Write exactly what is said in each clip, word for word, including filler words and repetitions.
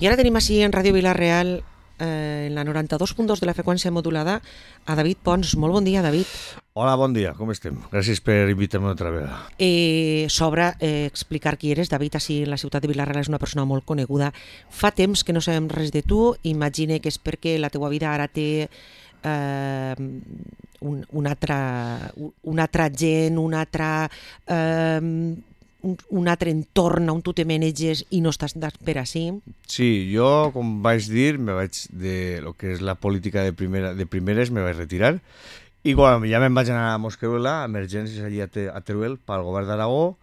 I ara tenim així en Ràdio Vila-real, eh, en la noranta-dos punt dos de la freqüència modulada, a David Pons. Molt bon dia, David. Hola, bon dia, com estem? Gràcies per invitar-me una altra vegada. Eh, S'obre eh, explicar qui eres. David, així en la ciutat de Vila-real és una persona molt coneguda. Fa temps que no sabem res de tu. Imagine que és perquè la teua vida ara té eh, un, un, altre, un altre gent, un altre... Eh, Un, un altre entorn on tu te maneges i no estàs per així. Sí, jo, com vaig dir, me vaig de lo que és la política de, primera, de primeres, me vaig retirar. I quan ja me'n vaig anar a Mosqueruela, emergències allí a, Te, a Teruel, pel govern d'Aragó,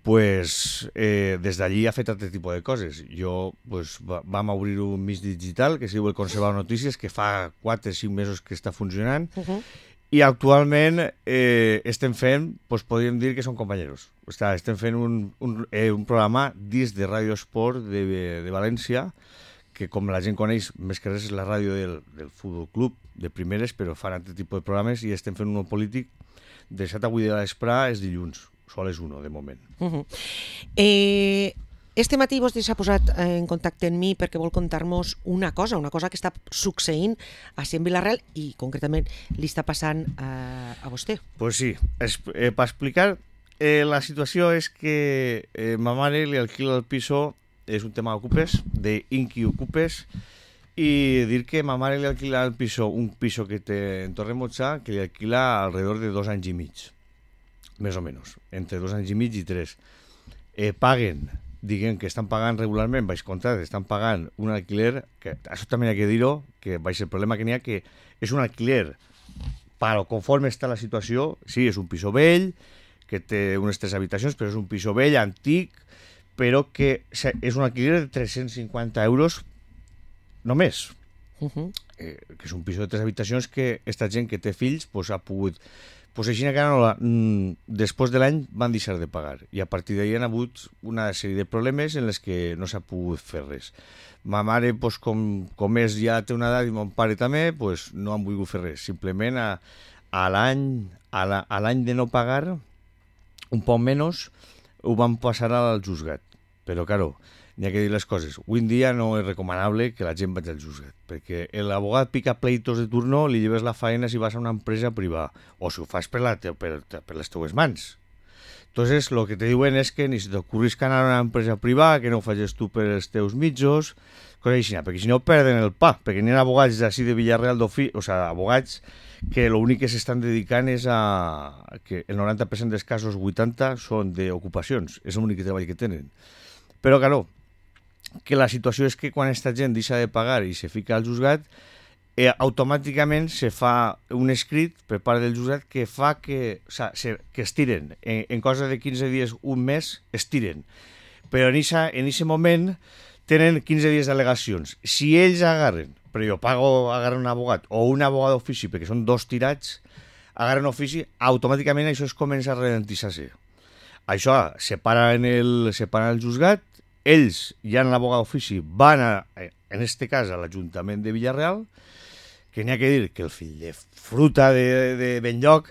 pues, eh, des d'allí ha fet altre tipus de coses. Jo, pues, va, vam obrir un mig digital que es diu el Conservador Notícies, que fa quatre o cinc mesos que està funcionant, uh-huh. I actualment eh, estem fent, pues, podríem dir que són companyeros. O sigui, estem fent un, un, eh, un programa dins de Ràdio Esport de, de València, que com la gent coneix, més que res és la ràdio del, del Futbol Club de primeres, però fan altre tipus de programes, i estem fent un polític de set a vuit de l'espre, és dilluns, sol és uno, de moment. Uh-huh. Eh... Este matí vostè s'ha posat en contacte amb mi perquè vol contar-nos una cosa, una cosa que està succeint a en Vila-real i concretament li està passant a, a vostè. Pues sí, es, eh, per explicar, eh, la situació és que eh, ma mare li alquila el piso, és un tema d'ocupes, d'Inqui Ocupes, i dir que ma mare li alquila el piso, un piso que té en Torremotxa, que li alquila alrededor de dos anys i mig, més o menys, entre dos anys i mig i tres. Eh, paguen diguem que estan pagant regularment, vaig comptar, estan pagant un alquiler, que això també hi ha que dir-ho, que vaig el problema que n'hi ha, que és un alquiler, però conforme està la situació, sí, és un piso vell, que té unes tres habitacions, però és un piso vell, antic, però que és un alquiler de tres-cents cinquanta euros només. Uh-huh. Eh, que és un piso de tres habitacions que aquesta gent que té fills pues, ha pogut... Pues així que no la, després de l'any van deixar de pagar i a partir d'ahir han hagut una sèrie de problemes en les que no s'ha pogut fer res. Ma mare, pues, com, com és, ja té una edat i mon pare també, pues, no han volgut fer res. Simplement a, a l'any a la, a l'any de no pagar, un poc menys, ho van passar al juzgat. Però, claro, n'hi ha que dir les coses. Avui en dia no és recomanable que la gent vagi al juzgat, perquè l'abogat pica pleitos de turno, li lleves la feina si vas a una empresa privada, o si ho fas per, la te, per, per les teues mans. Entonces, lo que te diuen és que ni se t'ocorris que anar a una empresa privada, que no ho facis tu per els teus mitjos, coses així, perquè si no perden el pa, perquè n'hi ha abogats d'ací de Villarreal d'Ofi, o sigui, abogats que l'únic que s'estan dedicant és a... que el noranta per cent dels casos, vuitanta, són d'ocupacions, és l'únic treball que tenen. Però, claro, que la situació és que quan aquesta gent deixa de pagar i se fica al juzgat, eh, automàticament se fa un escrit per part del juzgat que fa que, o sea, se, que estiren. En, en cosa de quinze dies, un mes, estiren. Però en aquest moment tenen quinze dies d'al·legacions. Si ells agarren, però jo pago agarrar un abogat o un abogat d'ofici, perquè són dos tirats, agarren ofici, automàticament això es comença a ralentitzar-se. Això separa en el, separa el juzgat, ells, ja en l'abogat d'ofici, van, a, en este cas, a l'Ajuntament de Villarreal, que n'hi ha que dir que el fill de fruta de, de Benlloc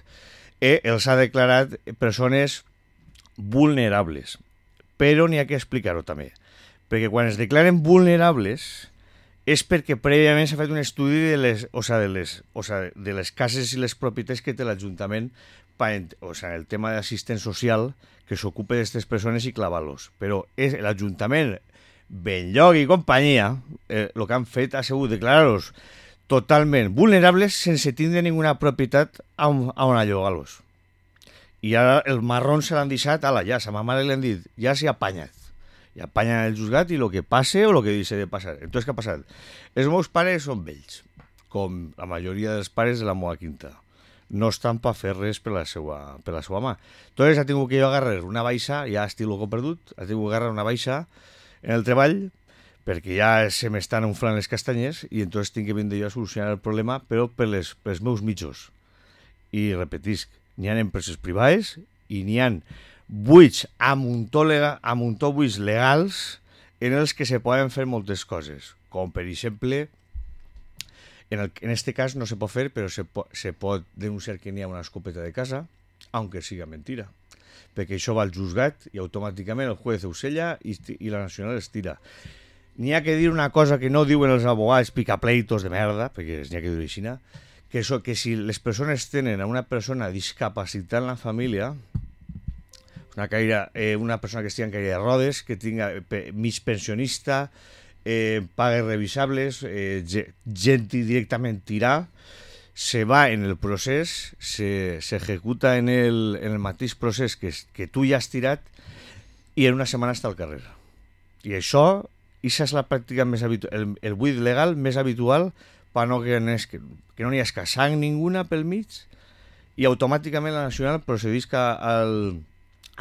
eh, els ha declarat persones vulnerables. Però n'hi ha que explicar-ho també. Perquè quan es declaren vulnerables és perquè prèviament s'ha fet un estudi de les, o sea, de les, o sea, de les cases i les propietats que té l'Ajuntament, o sea, el tema d'assistent social, que s'ocupa d'aquestes persones i clavar-los. Però és l'Ajuntament, Benlloc i companyia, eh, el que han fet ha sigut declarar-los totalment vulnerables sense tindre ninguna propietat on, on llogar-los. I ara el marrón se l'han deixat a la ja, a ma mare li han dit, ja s'hi apanyat. I apanya el juzgat i el que passe o el que deixi de passar. Entonces, què ha passat? Els meus pares són vells, com la majoria dels pares de la meva quinta. No estan per fer res per la seva, per la seva mà. Entonces, ha tingut que jo agarrar una baixa, ja estic loco perdut, ha tingut que agarrar una baixa en el treball, perquè ja se m'estan unflant les castanyes i entonces tinc que vindre jo a solucionar el problema, però per les, pels meus mitjos. I repetisc, n'hi ha empreses privades i n'hi ha buits a muntó, lega, a muntó buits legals en els que se poden fer moltes coses, com per exemple, en, el, en este cas no se pot fer, però se, po, se pot denunciar que n'hi ha una escopeta de casa, aunque siga mentira, perquè això va al juzgat i automàticament el juez ho sella i, i la nacional es tira. n'hi ha que dir una cosa que no diuen els abogats picapleitos de merda, perquè n'hi ha que dir així, que, so, que si les persones tenen a una persona discapacitada en la família, una, caire, eh, una persona que estigui en caire de rodes, que tinga eh, mig pensionista, eh, pagues revisables, eh, gent directament tirar, se va en el procés, se, se ejecuta en el, en el mateix procés que, que tu ja has tirat i en una setmana està al carrer. I això, això és la pràctica més habitual, el, el buit legal més habitual per no que, que, que no hi ha sang ninguna pel mig i automàticament la Nacional procedeix al,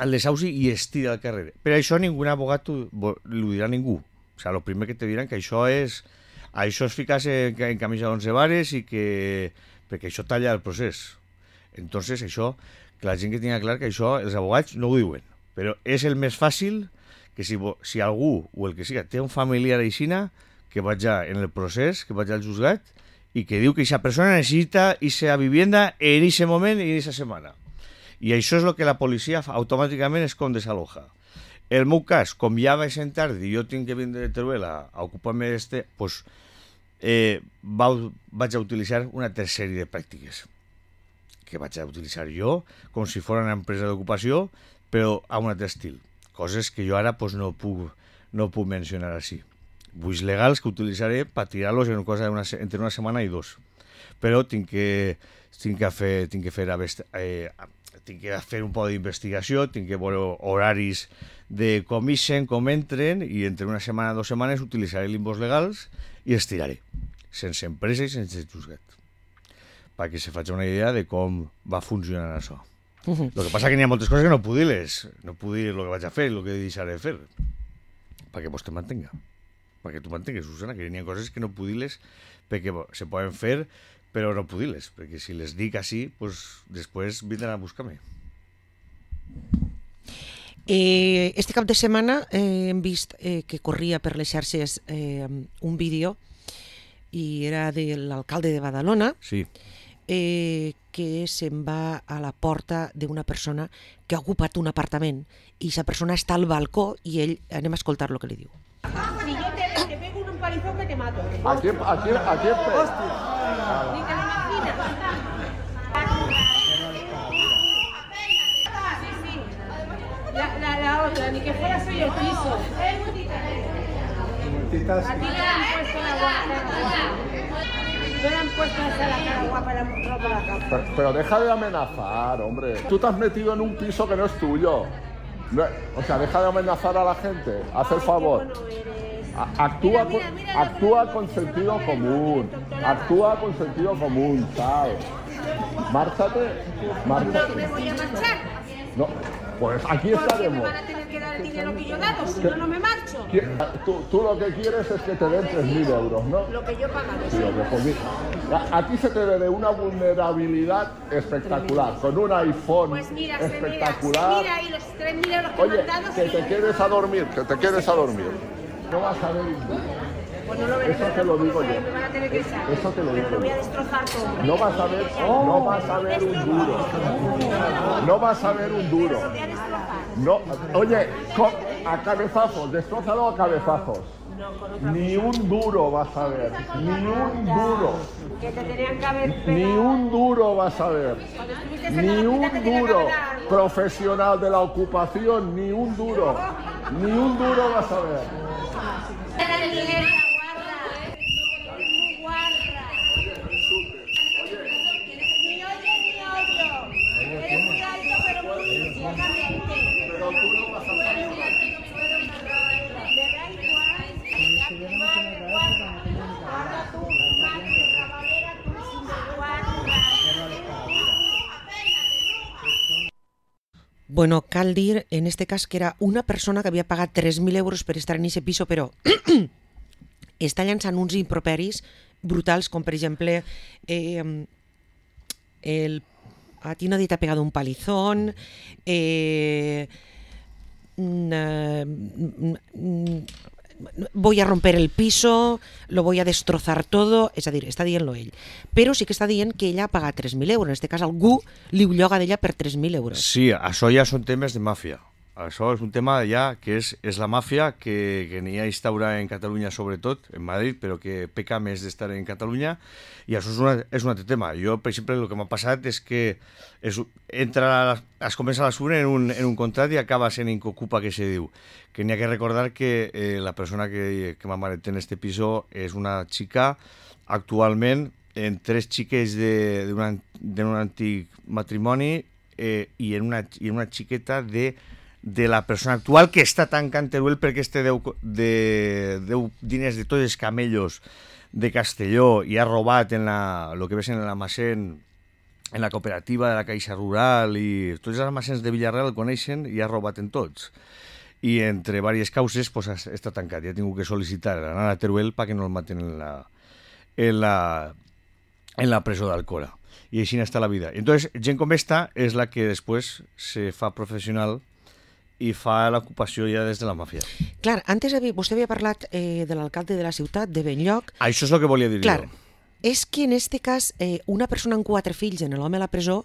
al desahuci i es tira al carrer. Per això ningú abogat ho dirà ningú. O sigui, el primer que te diran que això és això és ficar-se en camisa d'onze vares i que perquè això talla el procés. Entonces això, que la gent que tingui clar que això els abogats no ho diuen, però és el més fàcil que si, si algú o el que siga té un familiar aixina, que vagi en el procés, que vagi al juzgat i que diu que aquesta persona necessita aquesta vivienda en aquest moment i en aquesta setmana. I això és el que la policia fa, automàticament és com desaloja. El meu cas, com ja vaig en tard i jo tinc que vindre de Teruel a, a ocupar-me d'este, pues, eh, va, vaig a utilitzar una altra sèrie de pràctiques que vaig a utilitzar jo com si fos una empresa d'ocupació, però a un altre estil. Coses que jo ara pues, no, puc, no puc mencionar així. Buits legals que utilitzaré per tirar-los en cosa una, entre una setmana i dos. Però tinc que, tinc que fer, tinc que fer, eh, tinc que fer un poc d'investigació, tinc que veure horaris de com ixen, com entren, i entre una setmana i dues setmanes utilitzaré limbos legals i els tiraré, sense empresa i sense juzgat, perquè se faci una idea de com va funcionar això. Uh-huh. El que passa que n'hi ha moltes coses que no puc dir-les, no puc dir el que vaig a fer, el que deixaré de fer, perquè vos te mantenga, perquè tu mantengues, Susana, que n'hi ha coses que no puc dir-les perquè se poden fer, però no puc dir-les, perquè si les dic així, pues, després vindran a buscar-me. Eh, este cap de setmana eh, hem vist eh, que corria per les xarxes eh, un vídeo i era de l'alcalde de Badalona, sí. eh, que se'n va a la porta d'una persona que ha ocupat un apartament i aquesta persona està al balcó i ell, anem a escoltar el que li diu. Si yo te, te pego un palizón que te mato. ¿A quién, a quién, a quién pe... Hostia. Ni te lo imaginas. Sí, sí. La, la, la otra, ni que fuera soy el piso. A ti le han puesto la guapa. No le han puesto esa la cara guapa, la han mostrado por la capa. Pero, pero deja de amenazar, hombre. Tú te has metido en un piso que no es tuyo. No, o sea, deja de amenazar a la gente. Haz el favor. A, actúa, mira, mira, mira, con, actúa con sentido común. Actúa con sentido común, ¿sabes? Márchate. Márchate. No me voy a marchar. No, pues aquí Porque estaremos. me van a tener que dar el dinero que yo he dado, si yo no me marcho. Tú, tú lo que quieres es que te den tres mil euros, ¿no? Lo que yo he pagado. Sí, lo que pues, mira, a, a ti se te ve de una vulnerabilidad espectacular, con un iPhone Pues mira, se espectacular. mira, se mira ahí los tres mil euros que Oye, me han dado. que te quedes a dormir, que te quedes a dormir. No vas a ver un duro. Pues no lo veré, Eso te lo digo yo. me van a tener que echar. Eso te lo digo Pero lo voy a yo. destrozar todo. No vas a ver, no vas a ver un duro. No vas a ver un duro. Lo voy a destrozar. No, oye, con, a cabezazos, destrózalo a cabezazos. Ni un duro vas a ver, ni un duro. Que te tenían que haber pegado. Ni un duro vas a ver. Cuando estuviste en Ni el un hospital te tenían que duro. haber dado algo. Profesional de la ocupación, ni un duro. Ni un duro vas a ver. Dale dinero, guarda. Eres muy guarra. Ni oye ni oyo. Eres muy alto pero muy ciegamente. Pero tú no vas a salir. Me da igual. Madre, guarda. Guarda tú, madre, rabalera, tú, sin guarda. Bueno, cal dir en este cas que era una persona que havia pagat tres mil euros per estar en aquest piso, però està llançant uns improperis brutals, com per exemple eh, el, a ti nadie te ha pegado un palizón, eh, voy a romper el piso, lo voy a destrozar todo, és a dir, està dient-lo ell. Però sí que està dient que ella ha pagat tres mil euros, en aquest cas algú li ho lloga d'ella per tres mil euros. Sí, això ja són temes de màfia. Això és un tema ja que és, és la màfia que, que n'hi ha instaurada en Catalunya sobretot, en Madrid, però que peca més d'estar en Catalunya, i això és, una, és un altre tema. Jo, per exemple, el que m'ha passat és que és, entra, es comença a l'assumir en, un, en un contrat i acaba sent incocupa, que se diu. Que n'hi ha que recordar que eh, la persona que, que m'ha en este piso és una xica actualment en tres xiques d'un antic matrimoni eh, i, en una, i en una xiqueta de, de la persona actual que està tancant Teruel perquè este deu, de, deu diners de tots els camellos de Castelló i ha robat en la, lo que ves en l'almacén, en la cooperativa de la Caixa Rural, i tots els almacens de Villarreal el coneixen i ha robat en tots. I entre diverses causes pues, està tancat. Ja he tingut que sol·licitar anar a Teruel perquè no el maten en la, en la, en la presó d'Alcora. I així està la vida. Entonces, gent com esta és la que després se fa professional i fa l'ocupació ja des de la màfia. Clar, antes havia, vostè havia parlat eh, de l'alcalde de la ciutat, de Benlloc. Això és el que volia dir Clar, jo. és que en este cas eh, una persona amb quatre fills en l'home a la presó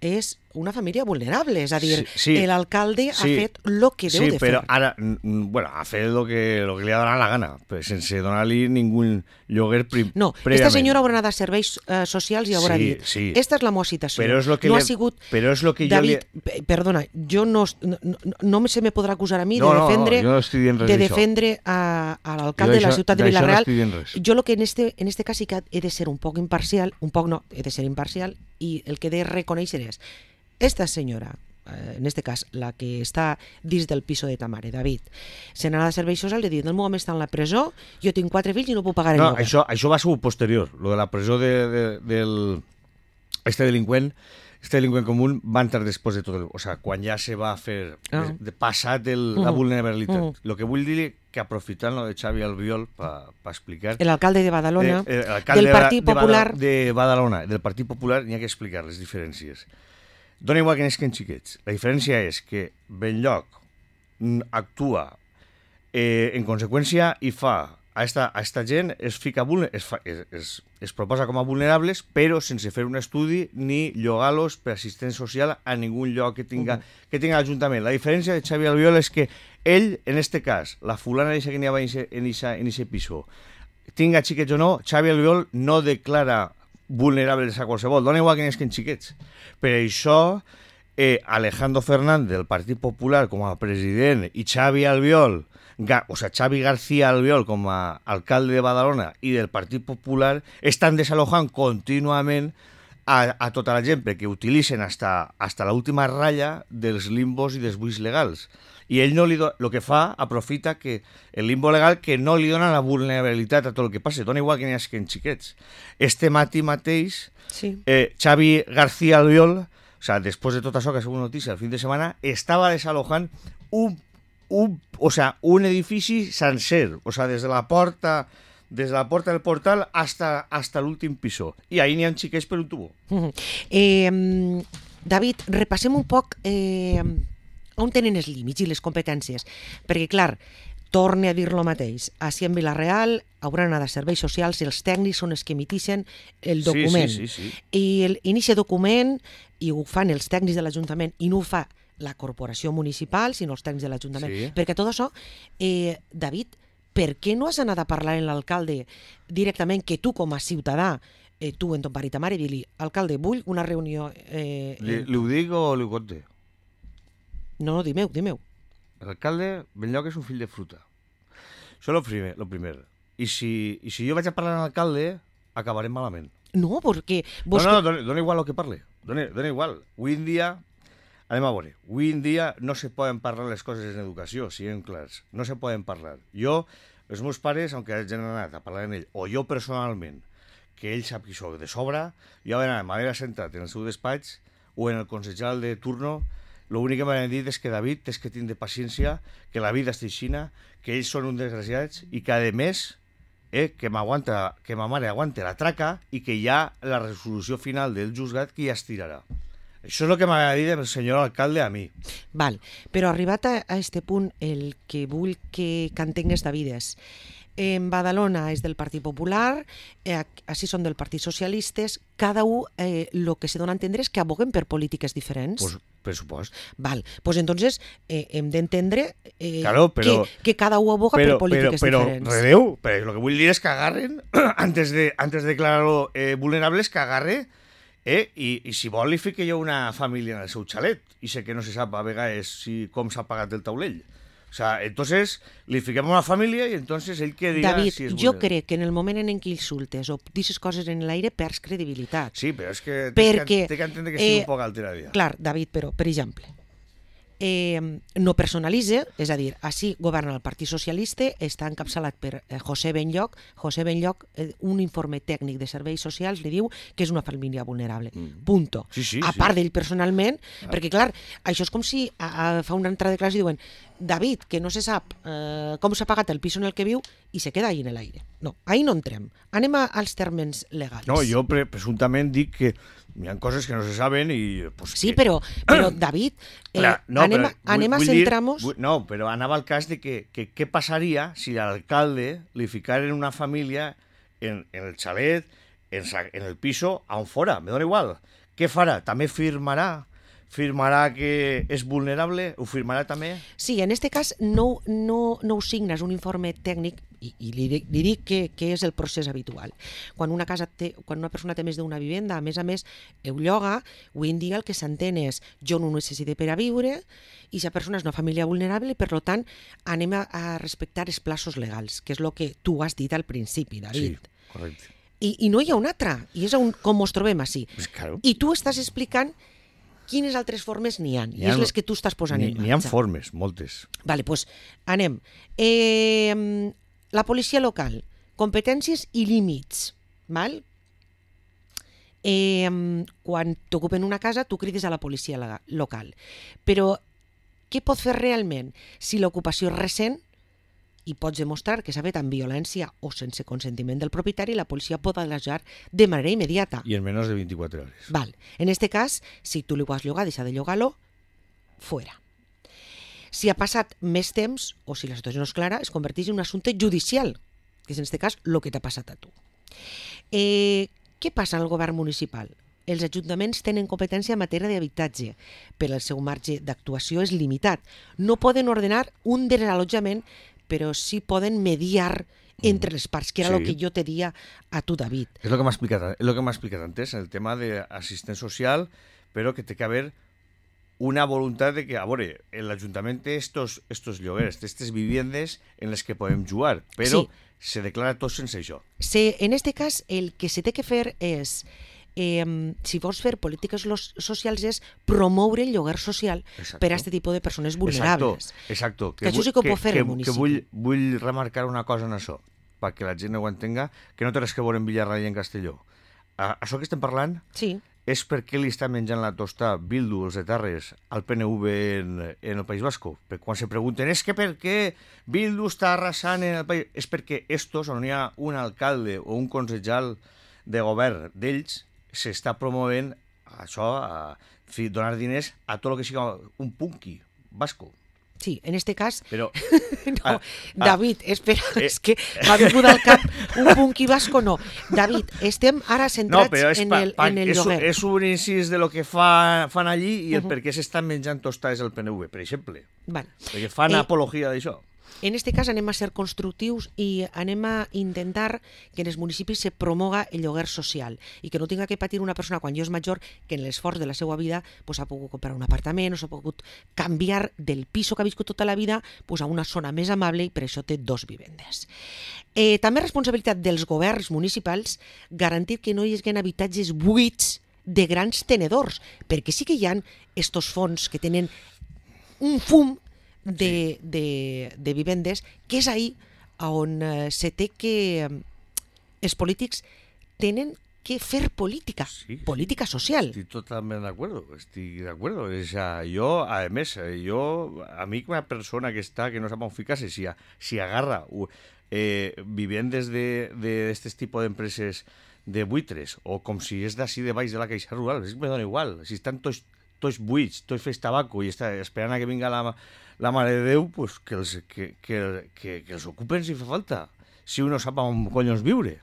és una família vulnerable, és a dir, sí, sí, l'alcalde sí, ha fet el que deu sí, de fer. Sí, però ara, bueno, ha fet el que, lo que li ha donat la gana, però sense donar-li ningú lloguer pri, no, prèviament. Esta senyora haurà anat a serveis uh, socials i haurà sí, dit, sí. Esta és la meva situació. Però és lo que no li... ha sigut... Però és lo que David, jo li... perdona, jo no, no, no se me podrà acusar a mi no, de defendre, no, no, jo no de defendre a, a l'alcalde de la ciutat de Villarreal. No jo lo que en este, en este cas sí que he de ser un poc imparcial, un poc no, he de ser imparcial, i el que he de reconèixer és esta senyora, en este cas, la que està dins del piso de ta mare, David, se n'anà de serveis socials i dit, el meu home està en la presó, jo tinc quatre fills i no puc pagar el no, lloguer. Això, això va ser posterior, lo de la presó de, de, del... Este delinqüent, este delinqüent comú va entrar després de tot el... O sea, quan ja se va fer ah. de, de passat el, uh -huh. la vulnerabilitat. Uh -huh. Lo que vull dir que aprofitant lo de Xavi Albiol per pa explicar... L'alcalde de Badalona, de, eh, del Partit de, Popular... De Badalona, del Partit Popular, n'hi ha que explicar les diferències. Dona igual que n'esquen xiquets. La diferència és que Benlloc actua eh, en conseqüència i fa a esta, a esta gent es, fica es, fa, es, es, es proposa com a vulnerables, però sense fer un estudi ni llogar-los per assistència social a ningú lloc que tinga, uh -huh. que tinga l'Ajuntament. La diferència de Xavi Albiol és que ell, en este cas, la fulana que n'hi havia en aquest piso, tinga xiquets o no, Xavi Albiol no declara vulnerables a qualsevol, dona igual que n'esquen xiquets. Per això, eh, Alejandro Fernández, del Partit Popular, com a president, i Xavi Albiol, Ga, o sea, Xavi García Albiol, com a alcalde de Badalona, i del Partit Popular, estan desalojant contínuament a, a tota la gent, perquè utilitzen hasta, hasta l'última ratlla dels limbos i dels buits legals. I ell no li do... lo que fa, aprofita que el limbo legal que no li dona la vulnerabilitat a tot el que passa. Dona igual que n'hi hagi xiquets. Este matí mateix, sí. eh, Xavi García Albiol, o sea, després de tot això que ha sigut notícia el fin de setmana, estava desalojant un, un, o sea, un edifici sencer, o sea, des de la porta... des de la porta del portal hasta, hasta l'últim piso. I ahí n'hi ha xiquets per un tubo. Uh-huh. eh, David, repassem un poc... Eh... on tenen els límits i les competències? Perquè, clar, torne a dir lo mateix. Així en Villarreal hauran anat a serveis socials i els tècnics són els que emitixen el document. Sí, sí, sí, sí. I el, en aquest document, i ho fan els tècnics de l'Ajuntament, i no ho fa la corporació municipal, sinó els tècnics de l'Ajuntament. Sí. Perquè tot això, eh, David, per què no has anat a parlar amb l'alcalde directament, que tu com a ciutadà, eh, tu en ton pare i ta mare, i dir-li, alcalde, vull una reunió... Eh, li, li ho dic o li ho conte? No, no, dimeu, dimeu. L'alcalde Benlloc és un fill de fruta. Això és el primer. Lo primer. I, si, I si jo vaig a parlar amb l'alcalde, acabarem malament. No, perquè... Vos... No, no, dona, dona igual el que parle. Dona, dona igual. Avui en dia, anem a veure, avui en dia no se poden parlar les coses en educació, siguem clars. No se poden parlar. Jo, els meus pares, aunque hagin anat a parlar amb ell, o jo personalment, que ell sap qui soc de sobre, jo m'havia sentat en el seu despatx o en el consellal de turno. L'únic que m'han dit és que David, tens que tindre paciència, que la vida està aixina, que ells són un desgraciats i que, a més, eh, que m'aguanta, que ma mare aguante la traca i que hi ha la resolució final del juzgat que ja es tirarà. Això és el que m'ha dit el senyor alcalde a mi. Val, però arribat a, a este punt, el que vull que, que entengues, David, és en Badalona és del Partit Popular, eh, així són del Partit Socialistes, cada un eh, lo que se dona a entendre és que aboguen per polítiques diferents. Pues, pressupost. Val, pues entonces eh, hem d'entendre eh, Claro, però- que, que cada un aboga Pero, per polítiques pero, pero, diferents. redeu, pero lo que vull dir és que agarren, antes de, antes de declarar-lo eh, vulnerables, que agarre, eh, i, i si vol li fique jo una família en el seu xalet, i sé que no se sap a vegades si, com s'ha pagat el taulell. O sea, entonces li fiquem una família i entonces ell que diga David, si és jo vulnerable. crec que en el moment en què insultes o dices coses en l'aire perds credibilitat. Sí, però és que Perquè, té que, té que entendre que estic eh, un poc alterada. Clar, David, però, per exemple, eh, no personalitza, és a dir, així governa el Partit Socialista, està encapçalat per eh, José Benlloc. José Benlloc, eh, un informe tècnic de serveis socials, li diu que és una família vulnerable. Mm. Punto. Sí, sí, a sí. part d'ell personalment, perquè clar, això és com si a, a, fa una entrada de classe i diuen David, que no se sap eh, com s'ha pagat el pis en el que viu i se queda ahí en l'aire. No, ahí no entrem. Anem a, als termes legals. No, jo pre presumptament dic que hi ha coses que no se saben i... Pues, Sí, que... però, però David, eh, Clar, no, anem, però a, anem vull- a vull dir- centrar-nos... vull- No, però anava al cas de que, que què passaria si l'alcalde li ficaren una família en, en el xalet, en, sa- en el piso, on fora, me dona igual. Què farà? També firmarà? Firmarà que és vulnerable? Ho firmarà també? Sí, en este cas no, no, no ho signes un informe tècnic i, i li, dic- li dic que, que és el procés habitual. Quan una, casa té, quan una persona té més d'una vivenda, a més a més, ho lloga, avui en dia el que s'entén és jo no ho necessito per a viure i la persona és una família vulnerable i per tant anem a, a respectar els plaços legals, que és el que tu has dit al principi, David. Sí, correcte. I, I no hi ha una altra, i és on, com ens trobem així. Pues claro. I tu estàs explicant quines altres formes n'hi ha, i N'hi ha- és les que tu estàs posant N'hi en n'hi ha marxa. formes, moltes. Vale, doncs anem. Eh, la policia local, competències i límits. Val? Eh, quan t'ocupen una casa, tu crides a la policia lega- local. Però què pot fer realment? Si l'ocupació és recent i pots demostrar que s'ha fet amb violència o sense consentiment del propietari, la policia pot allotjar de manera immediata. I en menys de vint-i-quatre hores. Val. En este cas, si tu li ho has llogat, deixa de llogar-lo, fuera. Si ha passat més temps, o si la situació no és clara, es converteix en un assumpte judicial, que és en aquest cas el que t'ha passat a tu. Eh, què passa en el govern municipal? Els ajuntaments tenen competència en matèria d'habitatge, però el seu marge d'actuació és limitat. No poden ordenar un desallotjament, però sí poden mediar entre les parts, que era el Sí. que jo te dia a tu, David. És el que m'ha explicat, és lo que m'ha explicat antes, el tema d'assistent social, però que té que haver una voluntat de que, a veure, l'Ajuntament té estos, estos lloguers, té aquestes viviendes en les que podem jugar, però Sí. se declara tot sense això. Se, en este cas, el que se té que fer és, eh, si vols fer polítiques los- socials, és promoure el lloguer social Exacto. per a aquest tipus de persones vulnerables. Exacto, exacto. Que això sí que ho pot fer el municipi. Que vull, vull remarcar una cosa en això, perquè la gent ho entenga, que no té res que veure en Villarreal i en Castelló. A, això que estem parlant Sí, és perquè li està menjant la tosta Bildu, els etarres, al P N V en, en el País Vasco. Perquè quan se pregunten, és que per què Bildu està arrasant en el país? És perquè estos, on hi ha un alcalde o un consellal de govern d'ells, s'està promovent això, a, en fi, donar diners a tot el que siga un punqui vasco. sí, en este cas... Però No, Ah, ah. David, espera, Eh. és que m'ha vingut al cap un punqui vasco, no. David, estem ara no, centrats però és, en pa, el, pa, en el és, un- lloguer. és un incís de lo que fa, fan allí i el Uh -huh. per què s'estan menjant tostades al P N V, per exemple. Vale. Perquè fan Eh, apologia d'això. En este cas anem a ser constructius i anem a intentar que en els municipis se promoga el lloguer social i que no tinga que patir una persona quan jo és major que en l'esforç de la seva vida pues, ha pogut comprar un apartament o s'ha pogut canviar del piso que ha viscut tota la vida pues, a una zona més amable i per això té dos vivendes. Eh, també és responsabilitat dels governs municipals garantir que no hi hagi habitatges buits de grans tenedors, perquè sí que hi ha estos fons que tenen un fum de, de, de vivendes, que és ahí on eh, se té que... eh, els polítics tenen que fer política, Sí, sí. política social. Estoy totalmente de acuerdo, estoy de acuerdo. O sea, yo, además, eh, yo, a mí una persona que está, que no sabe fijarse, si, a- si agarra u- eh, viviendes de, de este tipo de empresas de buitres, o com si és d'ací de baix de la Caixa Rural, és que me dona igual. Si estan tots, tots buits, tots fets tabaco i està esperant a que vinga la, la Mare de Déu, pues que els, que, que, que, que els ocupen si fa falta. si uno sap on collons viure.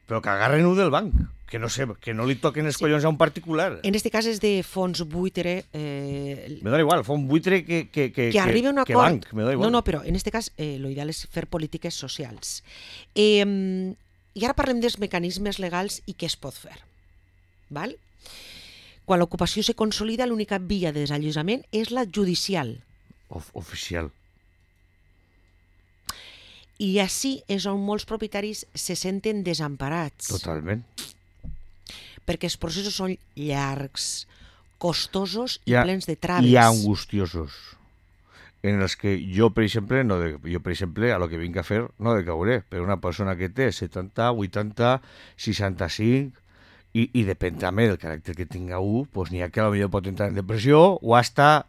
Però que agarren-ho del banc, que no sé, que no li toquen els sí. collons a un particular. En este cas és de fons buitre... Eh, me dona igual, fons buitre que, que, que, que arribi a un que acord. Banc, me dona igual. No, no, però en este cas eh, lo ideal és fer polítiques socials. Eh, I ara parlem dels mecanismes legals i què es pot fer. Val? Quan l'ocupació se consolida, l'única via de desallotjament és la judicial. Of, oficial. I així és on molts propietaris se senten desemparats. Totalment. Perquè els processos són llargs, costosos i ha, plens de traves. I angustiosos. En els que jo, per exemple, no de, jo, per exemple, a lo que vinc a fer, no decauré. Però una persona que té setanta, vuitanta, seixanta-cinc, i, i depèn també del caràcter que tinga un, doncs n'hi ha que potser pot entrar en depressió o hasta,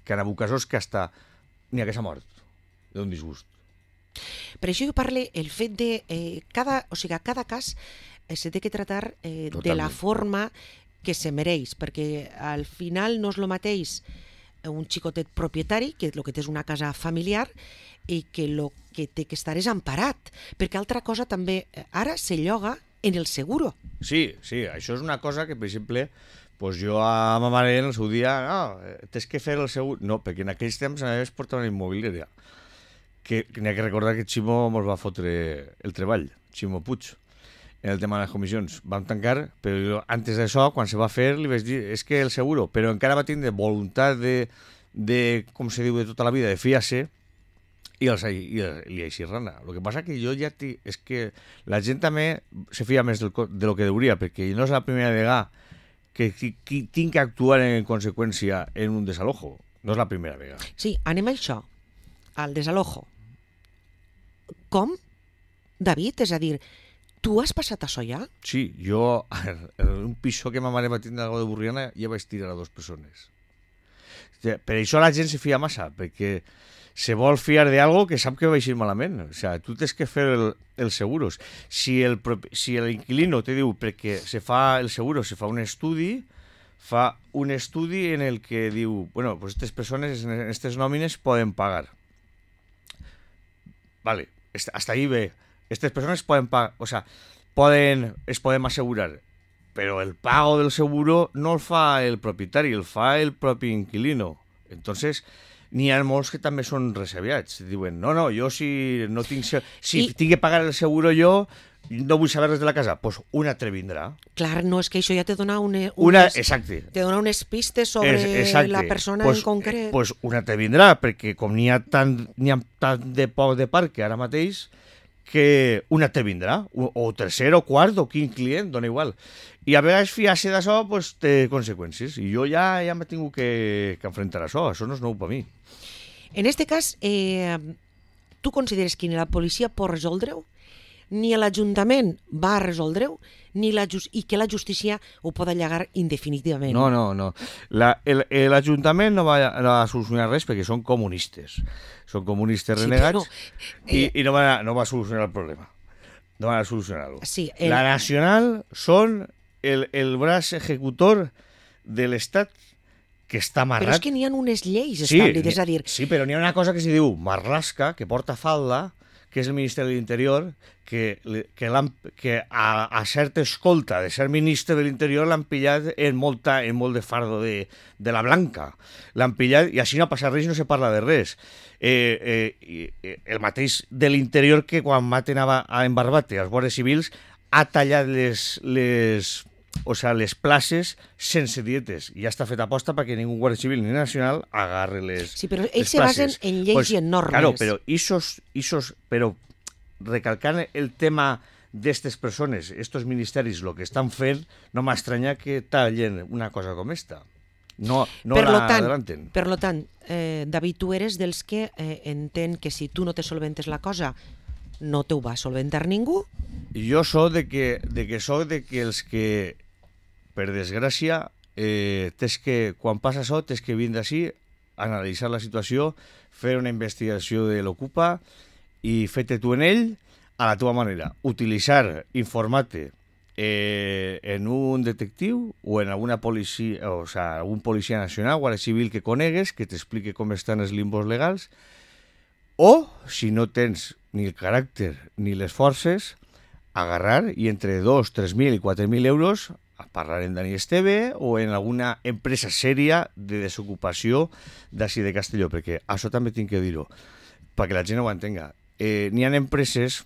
que en alguns casos, que hasta n'hi ha que s'ha mort d'un disgust. Per això jo parle el fet de eh, cada, o sigui, cada cas eh, se té que tratar eh, de la forma que se mereix, perquè al final no és el mateix un xicotet propietari, que el que té és una casa familiar, i que el que té que estar és emparat, perquè altra cosa també ara se lloga en el seguro. Sí, sí, això és una cosa que, per exemple, pues jo a ma mare en el seu dia, no, tens que fer el seguro... No, perquè en aquells temps a més portava una immobiliària. Que n'hi ha que recordar que Ximo ens va fotre el treball, Ximo Puig, en el tema de les comissions. Vam tancar, però jo, antes d'això, quan se va fer, li vaig dir, és que el seguro, però encara va tindre voluntat de, de com se diu, de tota la vida, de fiar-se, i els i, i així rana. El que passa que jo ja... T... És que la gent també se fia més del, de lo que hauria, perquè no és la primera vegada que qui tinc que actuar en conseqüència en un desalojo. No és la primera vegada. Sí, anem a això, al desalojo. Com? David, és a dir, tu has passat això ja? Sí, jo en un piso que ma mare va tindre algo de Burriana ja vaig tirar a dues persones. Per això la gent se fia massa, perquè se vol fiar de algo que sap que va eixir malament. O sea, tu tens que fer el, els seguros. Si el, si l'inquilino te diu perquè se fa el seguro, se fa un estudi, fa un estudi en el que diu, bueno, pues estas persones en aquestes nòmines poden pagar. Vale, hasta ahí ve. Estas personas pueden pagar, o sea, pueden, es podem asegurar, pero el pago del seguro no el fa el propietari, el fa el propi inquilino. Entonces, n'hi ha molts que també són resabiats. Diuen, no, no, jo si no tinc... Si I... tinc que pagar el seguro jo, no vull saber res de la casa. Doncs pues una altra vindrà. Clar, no, és que això ja te dona unes, una, exacte. Te dona unes pistes sobre es, la persona pues, en concret. Doncs pues una altra vindrà, perquè com n'hi ha tant, n'hi ha tant de poc de parc que ara mateix, que una altra vindrà, o, o tercer, o quart, o quin client, dona igual. I a vegades fiar-se d'això pues, té conseqüències. I jo ja ja m'he tingut que, que enfrontar a això. Això no és nou per mi. En este cas, eh, tu consideres que ni la policia pot resoldre-ho, ni l'Ajuntament va resoldre-ho, ni la just... i que la justícia ho pot allargar indefinitivament. No, no, no. L'Ajuntament no va, no va solucionar res perquè són comunistes. Són comunistes renegats sí, però, eh... i, i no, va, no va solucionar el problema. No van a solucionar-ho. Sí, el... La Nacional són el, el braç executor de l'Estat que està amarrat. Però és que n'hi ha unes lleis establides, sí, a dir... Sí, però n'hi ha una cosa que se diu marrasca, que porta falda, que és el Ministeri de l'Interior, que, que, que a, a certa escolta de ser ministre de l'Interior l'han pillat en, molta, en molt de fardo de, de la blanca. L'han pillat i així no ha passat res i no se parla de res. Eh, eh, el mateix de l'Interior que quan maten a, a en Barbate als guàrdies civils ha tallat les... les o sea, les places sense dietes. I ja està fet aposta perquè ningú guàrdia civil ni nacional agarre les Sí, però ells se basen en lleis pues, i en normes. Claro, però isos, isos, però recalcant el tema d'estes persones, estos ministeris, el que estan fent, no m'estranya que tallen una cosa com esta. No, no per la tant, adelanten. Per lo tant, eh, David, tu eres dels que eh, entén que si tu no te solventes la cosa, no te ho va solventar ningú? Jo soc de que, de que soc de que els que, per desgràcia, eh, tens que, quan passa això, tens que vindre així, analitzar la situació, fer una investigació de l'Ocupa i fer-te tu en ell a la teva manera. Utilitzar, informar-te eh, en un detectiu o en alguna policia, o sea, algun policia nacional, guàrdia civil que conegues, que t'explique com estan els limbos legals, O, si no tens ni el caràcter ni les forces, agarrar i entre dos, tres mil i quatre mil euros a parlar en Dani Esteve o en alguna empresa sèria de desocupació d'ací de Castelló, perquè això també tinc que dir-ho, perquè la gent ho entenga. Eh, n'hi ha empreses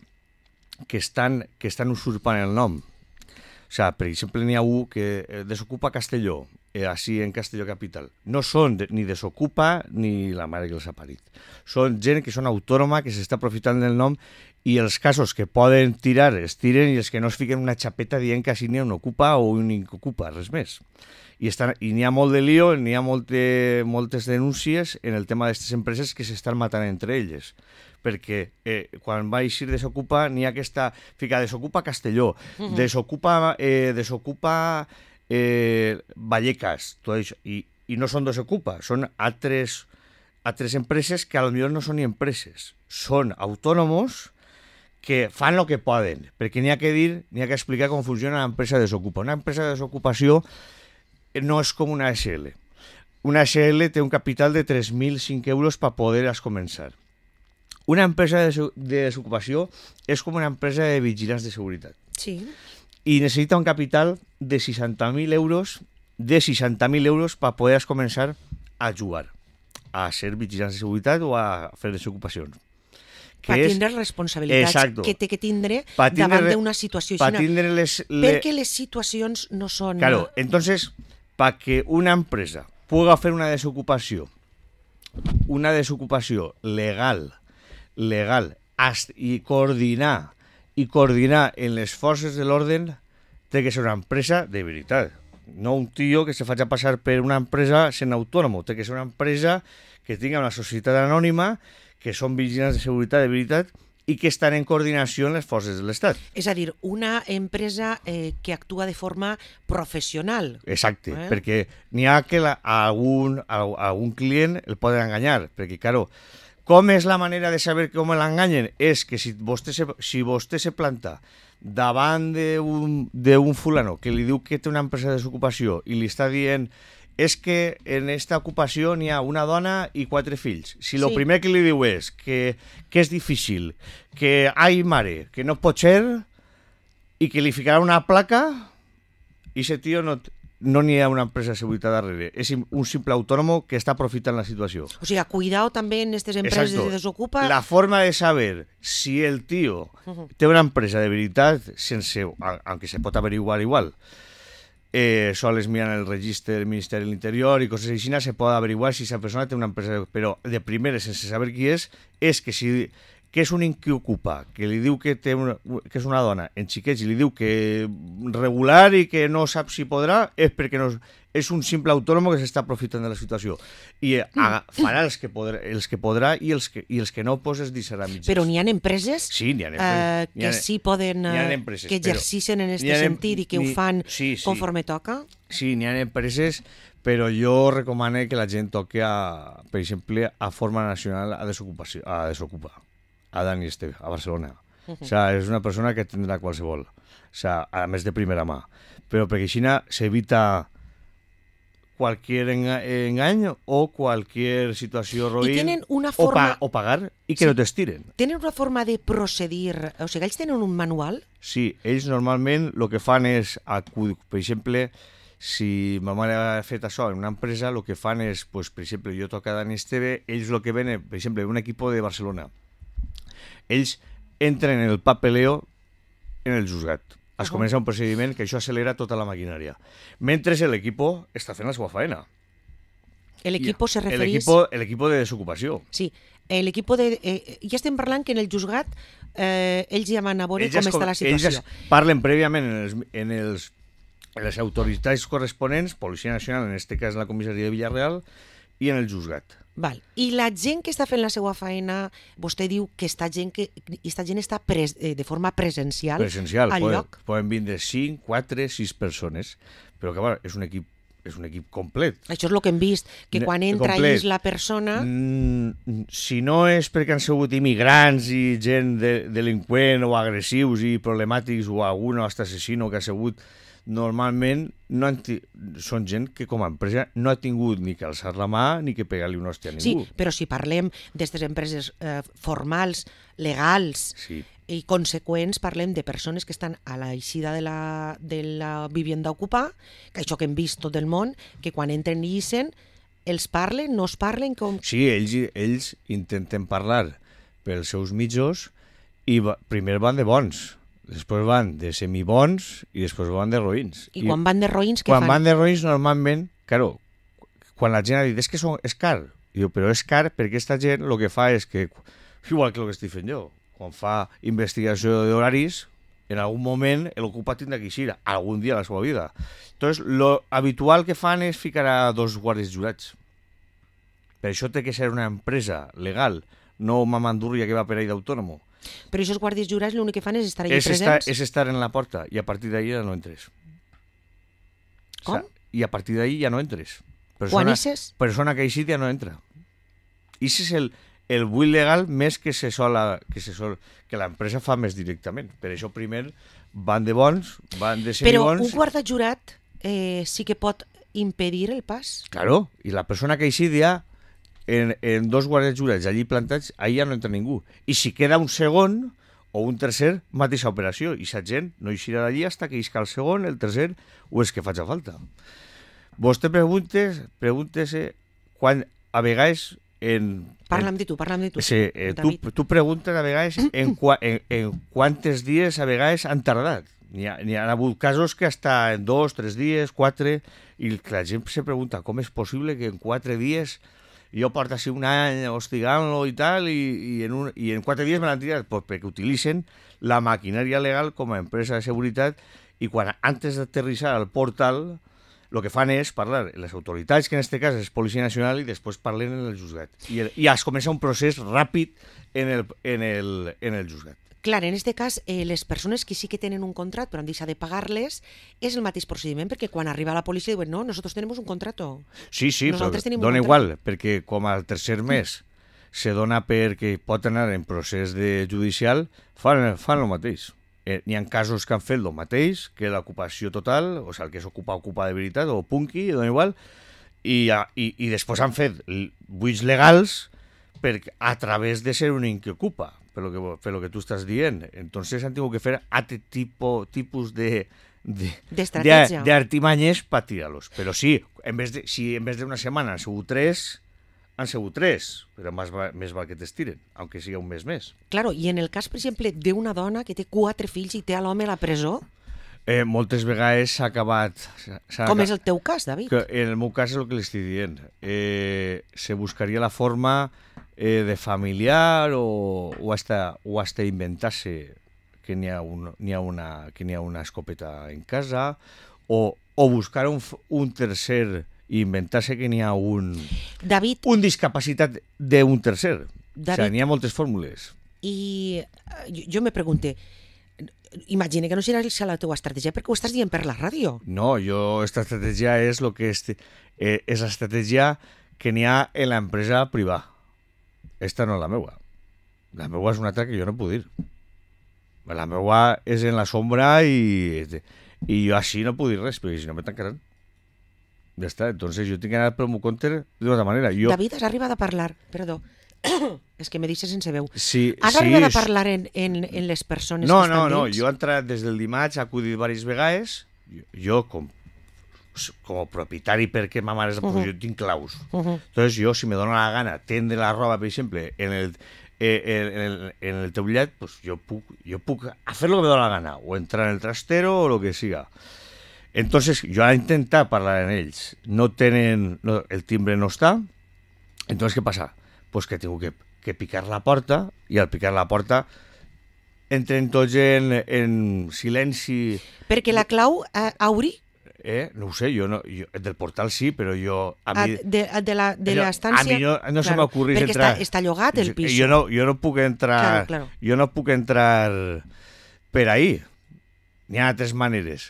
que estan, que estan usurpant el nom. O sigui, per exemple, n'hi ha un que desocupa Castelló, eh, així en Castelló Capital. No són de, ni desocupa ni la mare que els ha parit. Són gent que són autònoma, que s'està aprofitant del nom, i els casos que poden tirar es tiren i els que no es fiquen una xapeta dient que així n'hi ha un ocupa o un ocupa, res més. I, estan, i n'hi ha molt de lío, n'hi ha molte, moltes denúncies en el tema d'aquestes empreses que s'estan matant entre elles. Perquè eh, quan va eixir Desocupa n'hi ha aquesta... Fica, Desocupa Castelló, uh-huh. Desocupa, eh, desocupa eh, Vallecas, tot això. I, i no són Desocupa, són altres, altres empreses que potser no són ni empreses. Són autònomos que fan el que poden, perquè n'hi ha que dir, n'hi ha que explicar com funciona l'empresa Desocupa. Una empresa de desocupació no és com una S L. Una S L té un capital de tres mil cinc euros per poder començar. Una empresa de desocupació és com una empresa de vigilants de seguretat. Sí. I necessita un capital de seixanta mil euros, de seixanta mil euros per poder començar a jugar, a ser vigilants de seguretat o a fer desocupacions. Per tindre responsabilitats Exacto. que té que tindre pa tindre, davant d'una situació així. Les, le... Perquè les situacions no són... Claro, entonces, para que una empresa pueda hacer una desocupació, una desocupació legal, legal, i coordinar, i coordinar en les forces de l'orden, té que ser una empresa de veritat. No un tio que se faci passar per una empresa sent autònom, té que ser una empresa que tinga una societat anònima, que són vigilants de seguretat de veritat i que estan en coordinació amb les forces de l'Estat. És a dir, una empresa eh, que actua de forma professional. Exacte, eh? perquè n'hi ha que la, a, algun, a, a algun client el poden enganyar, perquè, claro, com és la manera de saber com l'enganyen? És que si vostè se, si vostè se planta davant d'un fulano que li diu que té una empresa de desocupació i li està dient és que en esta ocupació n'hi ha una dona i quatre fills. Si el sí. primer que li diu és que, que és difícil, que ai mare, que no pot ser, i que li ficarà una placa, i ese tio no, no n'hi ha una empresa de seguretat darrere. És un simple autònom que està aprofitant la situació. O sigui, cuidado també en aquestes empreses Exacto. de desocupa. La forma de saber si el tio uh-huh. té una empresa de veritat, sense, aunque se pot averiguar igual, Eh, sols miran el registre del Ministeri de l'Interior i coses així, se pot averiguar si aquesta persona té una empresa, però de primera, sense saber qui és, és que si que és un qui ocupa, que li diu que, té una, que és una dona en xiquets i li diu que regular i que no sap si podrà, és perquè no, és un simple autònom que s'està aprofitant de la situació. I a, farà els que, podrà, els que podrà i els que, i els que no pues, es deixarà mitges. Però n'hi ha empreses, sí, n'hi ha empreses. Eh, que ha, sí poden, eh, empreses, que exercicen en aquest sentit i que ho fan sí, sí. conforme toca? Sí, n'hi ha empreses, però jo recomano que la gent toqui, a, per exemple, a Forma Nacional a Desocupació, a Desocupa, a Dani Esteve, a Barcelona. Uh -huh. O sea, és una persona que tindrà qualsevol, o sea, a més de primera mà. Però perquè així s'evita qualsevol engany o qualsevol situació roïn una forma... o, pa o pagar i que sí. no t'estiren. Tenen una forma de procedir, o sigui, ells tenen un manual? Sí, ells normalment el que fan és, per exemple, si ma mare ha fet això en una empresa, el que fan és, pues, per exemple, jo toco a Dani Esteve, ells el que venen, per exemple, un equip de Barcelona, ells entren en el papeleo en el juzgat. Es uh-huh. comença un procediment que això acelera tota la maquinària. Mentre l'equip està fent la seva faena. L'equip se refereix... L'equip de desocupació. Sí, l'equip de... Eh, ja estem parlant que en el juzgat eh, ells ja van a veure com està la situació. Ells parlen prèviament en, els, en, els, en les autoritats corresponents, Policia Nacional, en aquest cas la comissaria de Villarreal, i en el juzgat. Val. I la gent que està fent la seva feina, vostè diu que esta gent, que, esta gent està pres, eh, de forma presencial, presencial al poden, lloc? Poden vindre cinc, quatre, sis persones, però que bueno, és un equip és un equip complet. Això és el que hem vist, que quan entra és la persona... Mm, si no és perquè han sigut immigrants i gent de, delinqüent o agressius i problemàtics o algun hasta assassino que ha sigut normalment no han ti... són gent que com a empresa no ha tingut ni que alçar la mà ni que pegar-li una hòstia a Sí, ningú. però si parlem d'aquestes empreses eh, formals, legals Sí. i conseqüents, parlem de persones que estan a l'eixida de la, de la vivienda ocupada, que això que hem vist tot el món, que quan entren i ixen, els parlen, no es parlen com... Sí, ells, ells intenten parlar pels seus mitjos i va, primer van de bons, després van de semibons i després van de roïns. I quan van de roïns, què quan fan? van de roïns, normalment, claro, quan la gent ha dit és que són, és car, diu, però és car perquè aquesta gent el que fa és que, igual que el que estic fent jo, quan fa investigació d'horaris, en algun moment l'ocupa tindrà que eixir, algun dia a la seva vida. Entonces, lo habitual que fan és ficar a dos guàrdies jurats. Per això té que ser una empresa legal, no mamandurria que va per ahí d'autònomo. Però aquests guàrdies jurats l'únic que fan és estar allà És estar, presents? és estar en la porta i a partir d'ahí ja no entres. Com? O sea, I a partir d'ahí ja no entres. Quan eixes? Persona que ha eixit ja no entra. I ese és el, el buit legal més que se sol, que se sol que l'empresa fa més directament. Per això primer van de bons, van de Però semibons... un guarda jurat eh, sí que pot impedir el pas? Claro, i la persona que ha eixit ja en, en dos guàrdies jurats allí plantats, ahí ja no entra ningú. I si queda un segon o un tercer, mateixa operació. I sa gent no eixirà d'allí fins que isca el segon, el tercer o és que faci falta. Vostè preguntes, preguntes-se quan a vegades en... Parla'm de tu, parla'm de tu, Sí, eh, tu, David. tu preguntes a vegades en, qua, en, en quantes dies a vegades han tardat. N'hi ha, n'hi ha hagut casos que hasta en dos, tres dies, quatre, i la gent se pregunta com és possible que en quatre dies jo porto així un any hostigant-lo i tal, i, i, en un, i en quatre dies me l'han tirat, pues perquè utilitzen la maquinària legal com a empresa de seguretat i quan antes d'aterrissar al portal el que fan és parlar les autoritats, que en aquest cas és Policia Nacional, i després parlen en el juzgat. I, el, i es comença un procés ràpid en el, en el, en el juzgat. Clar, en aquest cas, eh, les persones que sí que tenen un contrat però han deixat de pagar-les és el mateix procediment, perquè quan arriba la policia diuen no, nosotros tenemos un contrato. Sí, sí, Nosaltres però tenim un dona contracte. igual, perquè com al tercer mes se dona perquè pot anar en procés de judicial, fan, fan el mateix. Eh, N'hi ha casos que han fet el mateix, que l'ocupació total, o sigui, el que s'ocupa, ocupa de veritat, o punky, dona igual, i, i, i després han fet buits legals per, a través de ser un que ocupa, per lo que, per lo que tu estàs dient. Entonces han tingut que fer altre tipo, tipus de, de, D'estratègia. de, de artimanyes per tirar-los. Però sí, en vez de, si en vez d'una setmana han sigut tres, han sigut tres, però més val, més val que t'estiren, aunque sigui un mes més. Claro, i en el cas, per exemple, d'una dona que té quatre fills i té a l'home a la presó, Eh, moltes vegades s'ha acabat... s'ha com aca- és el teu cas, David? que en el meu cas és el que li estic dient. Eh, se buscaria la forma eh, de familiar o, o, hasta, o hasta inventar-se que n'hi ha, un, n'hi ha, una, que n'hi ha una escopeta en casa o, o buscar un, f- un tercer i inventar-se que n'hi ha un, David, un discapacitat d'un tercer. O David. sigui, n'hi ha moltes fórmules. i eh, jo, jo me pregunte, imagina que no serà la teva estratègia perquè ho estàs dient per la ràdio. No, jo, esta estratègia és lo que este, eh, és l'estratègia que n'hi ha en l'empresa privada. Esta no és la meua. La meua és una altra que jo no puc dir. La meua és en la sombra i, i jo així no puc dir res, perquè si no me tancaran. Ja està, entonces jo tinc que anar pel meu compte d'una altra manera. Jo, David, has arribat a parlar, perdó, és que me deixes sense veu. sí, Has sí, arribat a és- parlar en, en, en les persones No, que no, estan no, dins? jo he entrat des del dimarts, he acudit diverses vegades, jo, jo com, com a propietari perquè ma mare és de Uh-huh. jo tinc claus. Uh-huh. Entonces jo, si me dona la gana tendre la roba, per exemple, en el, eh, en el, en el teulat, pues jo puc, jo puc hacer lo que me dona la gana, o entrar en el trastero o lo que siga. Entonces jo he intentat parlar amb ells, no tenen, no, el timbre no està, entonces què passa? Pues que tengo que, que picar la porta, i al picar la porta entren tots en, en silenci. Perquè la clau, eh, Auri, Eh? No ho sé, jo no, jo, del portal sí, però jo... A a, mi, de, de la- de jo- l'estància... a mi no, no se m'acurrís perquè entrar... Està, està llogat el pis. Jo no, jo no puc entrar... Claro, claro. Jo no puc entrar per ahí. N'hi ha altres maneres.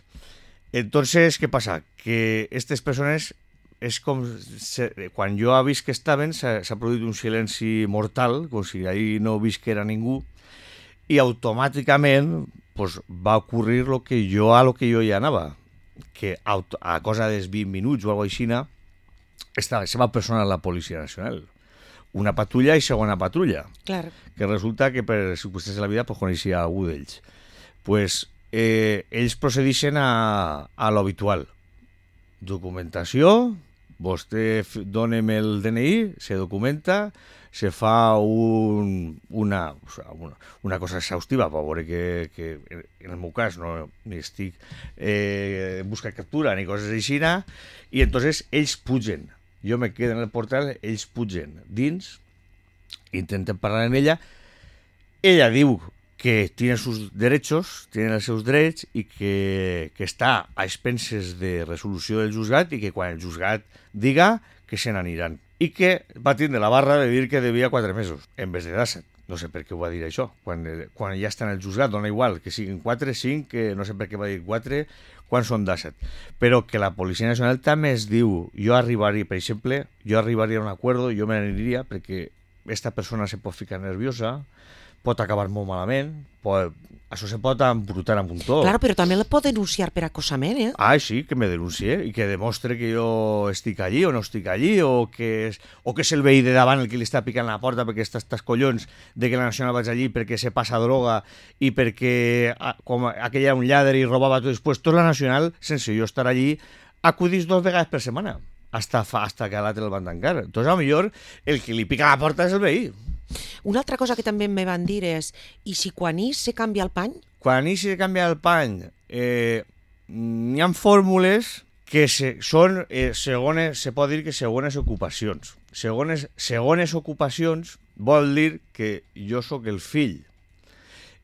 Entonces, què passa? Que aquestes persones és com... Se, quan jo he vist que estaven, s'ha s'ha produït un silenci mortal, com si ahí no visquera ningú, i automàticament pues, va ocurrir lo que jo a lo que jo ja anava. que a, a cosa dels vint minuts o alguna cosa així està la seva persona a la Policia Nacional. Una patrulla i segona patrulla. Clar. Que resulta que per circumstàncies de la vida pues, coneixia algú d'ells. Pues, eh, ells procedixen a, a l'habitual. Documentació, vostè dóna'm el D N I, se documenta, se fa un, una, o sea, una, una cosa exhaustiva per veure que, que en el meu cas no ni estic eh, en busca de captura ni coses així, i entonces ells pugen. Jo me quedo en el portal, ells pugen dins, intenten parlar amb ella, ella diu que tiene sus derechos, tiene els seus drets i que, que està a expenses de resolució del juzgat i que quan el juzgat diga que se n'aniran. I que va tindre la barra de dir que devia quatre mesos, en vez de dèsset. No sé per què ho va dir això. Quan, quan ja està en el juzgat, dona igual, que siguin quatre, cinc, que no sé per què va dir quatre, quan són dèsset. Però que la Policia Nacional també es diu, jo arribaria, per exemple, jo arribaria a un acord, jo me n'aniria perquè esta persona se pot ficar nerviosa, pot acabar molt malament, pot, això se pot embrutar amb un tot. Claro, però també la pot denunciar per acosament, eh? Ah, sí, que me denuncie i que demostre que jo estic allí o no estic allí, o que és, o que és el veí de davant el que li està picant la porta perquè està estàs collons de que la Nacional vaig allí perquè se passa droga i perquè com aquell era un lladre i robava tot després, tot la Nacional, sense jo estar allí, acudís dos vegades per setmana hasta, fa, hasta que a l'altre el van tancar. Entonces, a lo millor, el que li pica la porta és el veí. Una altra cosa que també me van dir és, i si quan hi se canvia el pany? Quan hi se canvia el pany, eh, n'hi ha fórmules que se, són, eh, segones, se pot dir que segones ocupacions. Segones, segones ocupacions vol dir que jo sóc el fill.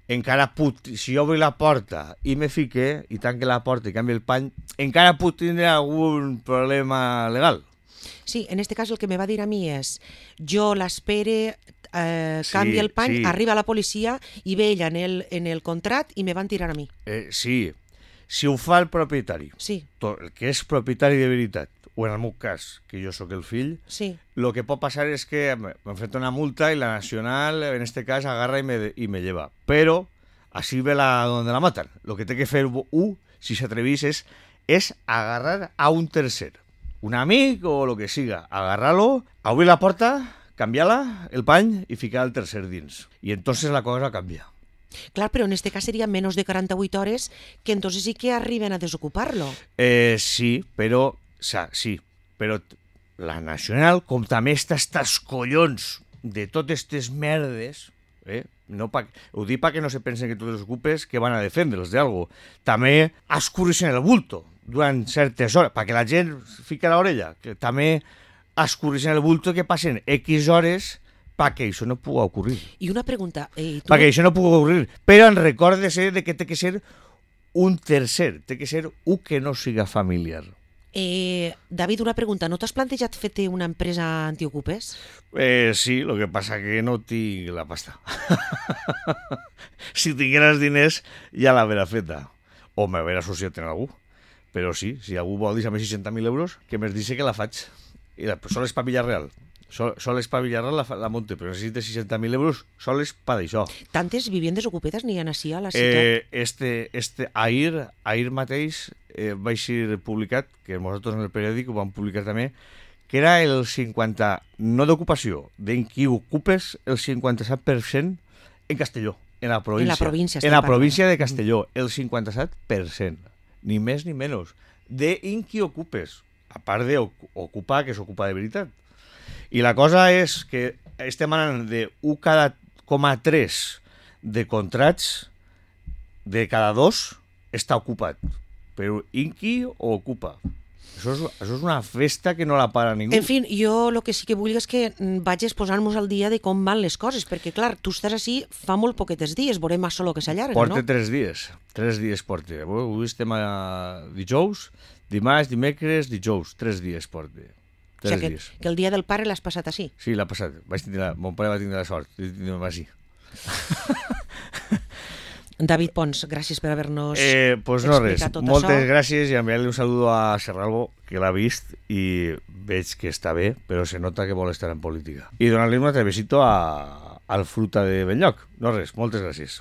Encara puc, si jo obri la porta i me fique, i tanque la porta i canvi el pany, encara puc tindre algun problema legal. Sí, en este cas el que me va dir a mi és, jo l'espere, eh, Sí, canvia el pany, sí. arriba la policia i ve ella en el, en el contrat i me van tirar a mi. Eh, sí, si ho fa el propietari, Sí, to- el que és propietari de veritat, o en el meu cas, que jo sóc el fill, sí. lo que pot passar és que m'enfrento una multa i la Nacional, en este cas, agarra i me, y me lleva. Però, así ve la donde la matan. Lo que té que fer U, si s'atrevís, és, és agarrar a un tercer. Un amic o lo que siga. Agarrar-lo, obrir la porta, canviar-la, el pany, i ficar el tercer dins. I entonces la cosa canvia. Clar, però en este cas seria menys de quaranta-vuit hores que entonces sí que arriben a desocupar-lo. Eh, sí, però... O sea, sí, però la Nacional, com també està estos collons de totes aquestes merdes, eh? No pa, ho dic perquè no se pensen que tots els ocupes que van a defendre'ls d'algo. També escurreixen el bulto durant certes hores, perquè la gent fica l'orella, que també escurreixen el bulto que passen X hores perquè això no pugui ocurrir. I una pregunta, eh, tu... Perquè això no pugui ocurrir, però en recorde-se de que té que ser un tercer, té que ser un que no siga familiar. Eh, David, una pregunta, no t'has plantejat fer-te una empresa antiocupes? Eh, sí, lo que pasa que no tinc la pasta. Si tingueras diners, ja l'haverà feta. O m'haver associat en algú. Però sí, si algú vol dir-me seixanta mil euros, que m'es dice que la faig. I la, sol és pa Villarreal. Sol, sol és pa Villarreal la, la monte, però necessita seixanta mil euros soles pa d'això. Tantes viviendes ocupedes n'hi ha així a la ciutat? Eh, este, este, ahir, ahir mateix eh, vaig ser publicat, que nosaltres en el periòdic ho vam publicar també, que era el cinquanta, no d'ocupació, d'en qui ocupes el cinquanta-set per cent en Castelló, en la província. En la província, en la estem província de parlant. Castelló, el cinquanta-set per cent, ni més ni menys, de en qui ocupes, a part d'ocupar, que s'ocupa de veritat. I la cosa és que estem anant de un cada coma tres de contrats, de cada dos està ocupat. Però inqui o ocupa. Això és, això és una festa que no la para ningú. En fi, jo el que sí que vull és que mm, vaig exposar-nos al dia de com van les coses, perquè, clar, tu estàs així fa molt poquetes dies, veurem a solo que s'allarga, Porta no? tres dies. Tres dies porta. Avui estem a dijous, dimarts, dimecres, dijous. Tres dies porta. O Tres sigui, dies. que, que el dia del pare l'has passat així. Sí, l'ha passat. Vaig tindre la... Mon pare va tindre la sort. de tindre-me així. David Pons, gràcies per haver-nos Eh, pues no res, explicat tot moltes això. gràcies i enviar-li un saludo a Serralbo, que l'ha vist i veig que està bé, però se nota que vol estar en política. I donar-li un altre besito a, al Fruta de Benlloc. No res, moltes gràcies.